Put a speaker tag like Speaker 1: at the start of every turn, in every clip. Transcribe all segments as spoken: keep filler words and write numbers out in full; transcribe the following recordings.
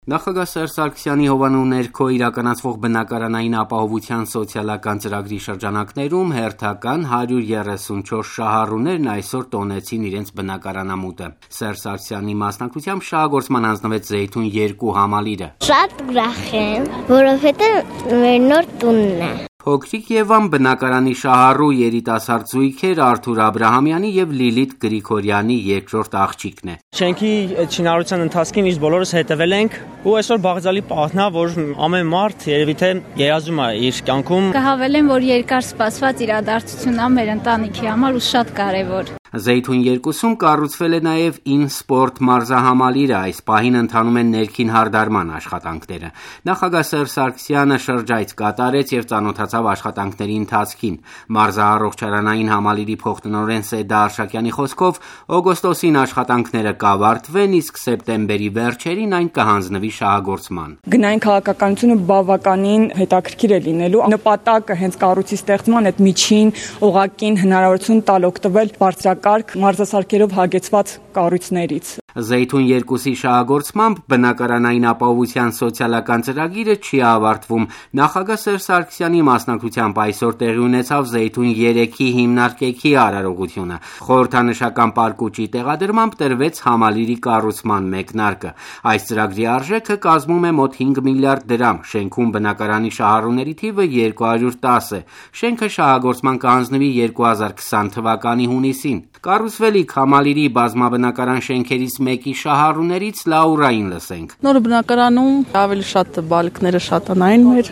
Speaker 1: Նախագահ Սերժ Սարգսյանի հովանու ներքո իրականացվող բնակարանային ապահովության սոցիալական ծրագրի շրջանակներում հերթական հարյուր երեսունչորս շահառուներն այսօր տոնեցին իրենց բնակարանամուտը։ Սերժ Սարգսյանի մասնակցությամբ շահագործման հանձնվեց Զեյթուն երկու համալիրը։
Speaker 2: Շատ ուրախ եմ, որովհետև մեր նոր տունն է։
Speaker 1: Փոքրիկ Եվան բնակարանի շահառու երիտասարդ զույգեր Արթուր Աբրահամյանի եւ Լիլիթ Գրիգորյանի երկրորդ աղջիկն է։
Speaker 3: Շենքի շինարարության ընթացքին իսկ բոլորս հետևել ենք ու այսօր բաղձալի պահն է, որ ամեն մարդ երևի թե երազում է իր կյանքում։
Speaker 4: Կհավելեմ, որ երկար սպասված իրադարձություն է մեր ընտանիքի համար ու շատ կարևոր։
Speaker 1: Զեյթուն երկուսում կառուցվել է նաև InSport մարզահամալիրը, այս պահին ընթանում են ներքին հարդարման աշխատանքները։ Նախագահ Սերժ Սարգսյանը շրջայց կատարեց եւ ծանոթացավ աշխատանքների ընթացքին։ Մարզահարողչարանային համալիրի փոխտնօրեն Սեդա Արշակյանի խոսքով օգոստոսին աշխատանքները կավարտվեն, իսկ սեպտեմբերի վերջերին այն կհանձնվի շահագործման։
Speaker 5: Գնային քաղաքականությունը բավականին հետաքրքիր է լինելու։ Նպատակը հենց կառույցի ստեղծման այդ միջին օղակին հնարավորություն տալ օգտվել բարձրակարգ մարզասարքերով հագեցված կառույցներից։
Speaker 1: Զեյթուն երկուսի շահագործմամբ բնակարանային ապահովության սոցիալական ծրագիրը չի ավարտվում։ Նախագահ Սերժ Սարգսյանի մասնակցությամբ այսօր տեղի ունեցավ Զեյթուն երեքի հիմնարկեքի արարողությունը։ Խորհրդանշական պարկուճի տեղադրմամբ տրվեց համալիրի կառուցման մեկնարկը։ Այս ծրագրի արժեքը կազմում է մոտ հինգ միլիարդ դրամ։ Շենքում բնակարանի շահառուների թիվը երկու հարյուր տասը է։ Շենքը շահագործման կհանձնվի երկու հազար քսան թվականի հունիսին։ Կառուցվելիք համալիրի բազմաբնակարան շենքերից մեկի շահառուներից Լաուրային լսենք։
Speaker 6: Նոր բնակարանում ավելի շատ բալիկները շատանային մեր,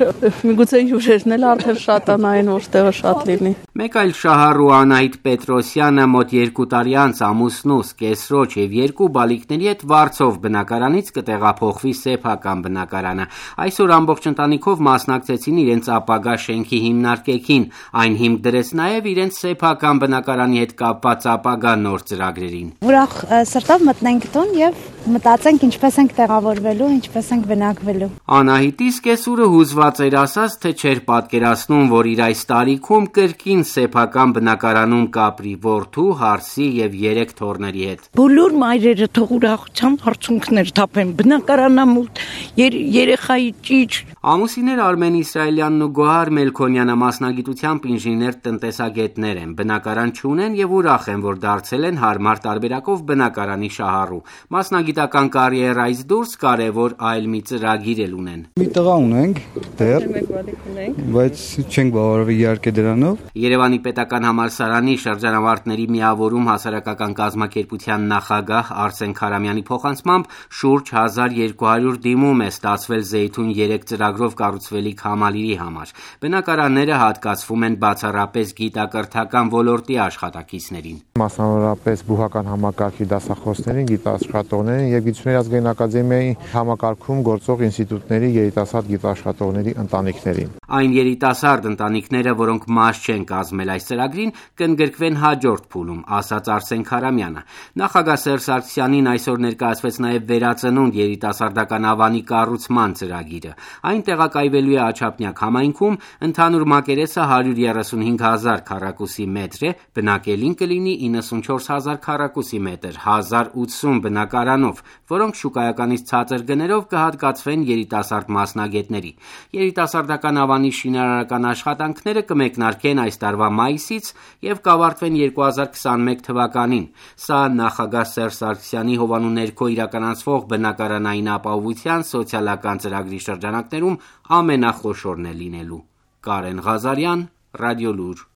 Speaker 6: միգուցե հյուրերն էլ արդեն շատանային, որտեղը շատ լինի։
Speaker 1: Մեկ այլ շահառու Անահիտ Պետրոսյանը մոտ երկու տարի անց ամուսնուս, կեսրոջ եւ երկու բալիկների հետ Վարձով բնակարանից կտեղափոխվի սեփական բնակարանը։ Այսօր ամբողջ ընտանիքով մասնակցեցին իրենց ապագա շենքի հիմնարկեքին։ Այն հիմք դրեց նաեւ իրենց սեփական բնակարանի հետ կապված ապագա նոր ծրագրերին։
Speaker 7: Ուրախ սրտով մտնենք տուն եւ մտածենք ինչպես ենք տեղավորվելու, ինչպես ենք բնակվելու։
Speaker 1: Անահիտի սկեսուրը հուզված էր ասած, թե չէր պատկերացնում, որ իր այս տարիքում կրկին սեփական բնակարանում կապրի որդու, հարսի եւ երեք թոռների հետ։
Speaker 8: Բոլոր մայրերը թող ուրախությամբ հարցունքներ թափեն բնակարանամուտ, երեխայի ճիչ։
Speaker 1: Ամուսիններ Արմեն Իսրայելյանն ու Գոհար Մելքոնյանը մասնագիտությամբ ինժեներ տնտեսագետներ են, բնակարան չունեն եւ ուրախ են, որ դարձել են հարմար տարբերակով բնակարանի շահառու։ Մասնագիտական կարիերայից դուրս կարևոր այլ մի ծրագիր էլ ունեն։
Speaker 9: Մի տղա ունենք դեռ, բայց չենք բավարարվի իհարկե դրանով։
Speaker 1: Երևանի պետական համալսարանի շրջանավարտների միավորում հասարակական կազմակերպության նախագահ Արսեն Քարամյանի փոխանցմամբ շուրջ հազար երկու հարյուր դիմում է ստացվել Զեյթուն երեք ծրագրով կառուցվելիք համալիրի համար։ Բնակարանները հատկացվում են բացառապես գիտակրթական ոլորտի աշխատակիցներին։
Speaker 10: Մասնավորապես բուհական համակարգի դասախոսներին, գիտաշխատողներին եւ Գիտությունների ազգային ակադեմիայի համակարգում գործող ինստիտուտների երիտասարդ գիտաշխատողների ընտանիքներին։
Speaker 1: Այն երիտասարդ ընտանիքները, որոնք մաս չեն կազմել այս ծրագրին, կընդգրկվեն հաջորդ փուլում, ասաց Արսեն Քարամյանը։ Նախագահ Սերժ Սարգսյանին այսօր ներկայացվեց նաեւ վերածնունդ երիտասարդական ավանի կառուցման ծրագիրը։ Այն տեղակայվելու է Աչափնյակ համայնքում, ընդհանուր մակերեսը հարյուր երեսունհինգ հազար քառակուսի մետր է, բնակելին կլինի իննսունչորս հազար քառակուսի մետր, հազար ութսուն բնակարանով, որոնք շուկայականից ցածր գներով կհատկացվեն երիտասարդ մասնագետների։ Երիտասարդական ավանի շինարարական աշխատանքները կմեկնարկեն այս տարվա մայիսից եւ կավարտվեն երկու հազար քսանմեկ թվականին։ Սա նախագահ Սերժ Սարգսյանի հովանու ներքո իրականացվող բնակարանային ապահովության սոցիալական ծրագրի շրջանակներում ամենախոշորն է լինելու։ Կարեն Ղազարյան, Ռադիոլուր։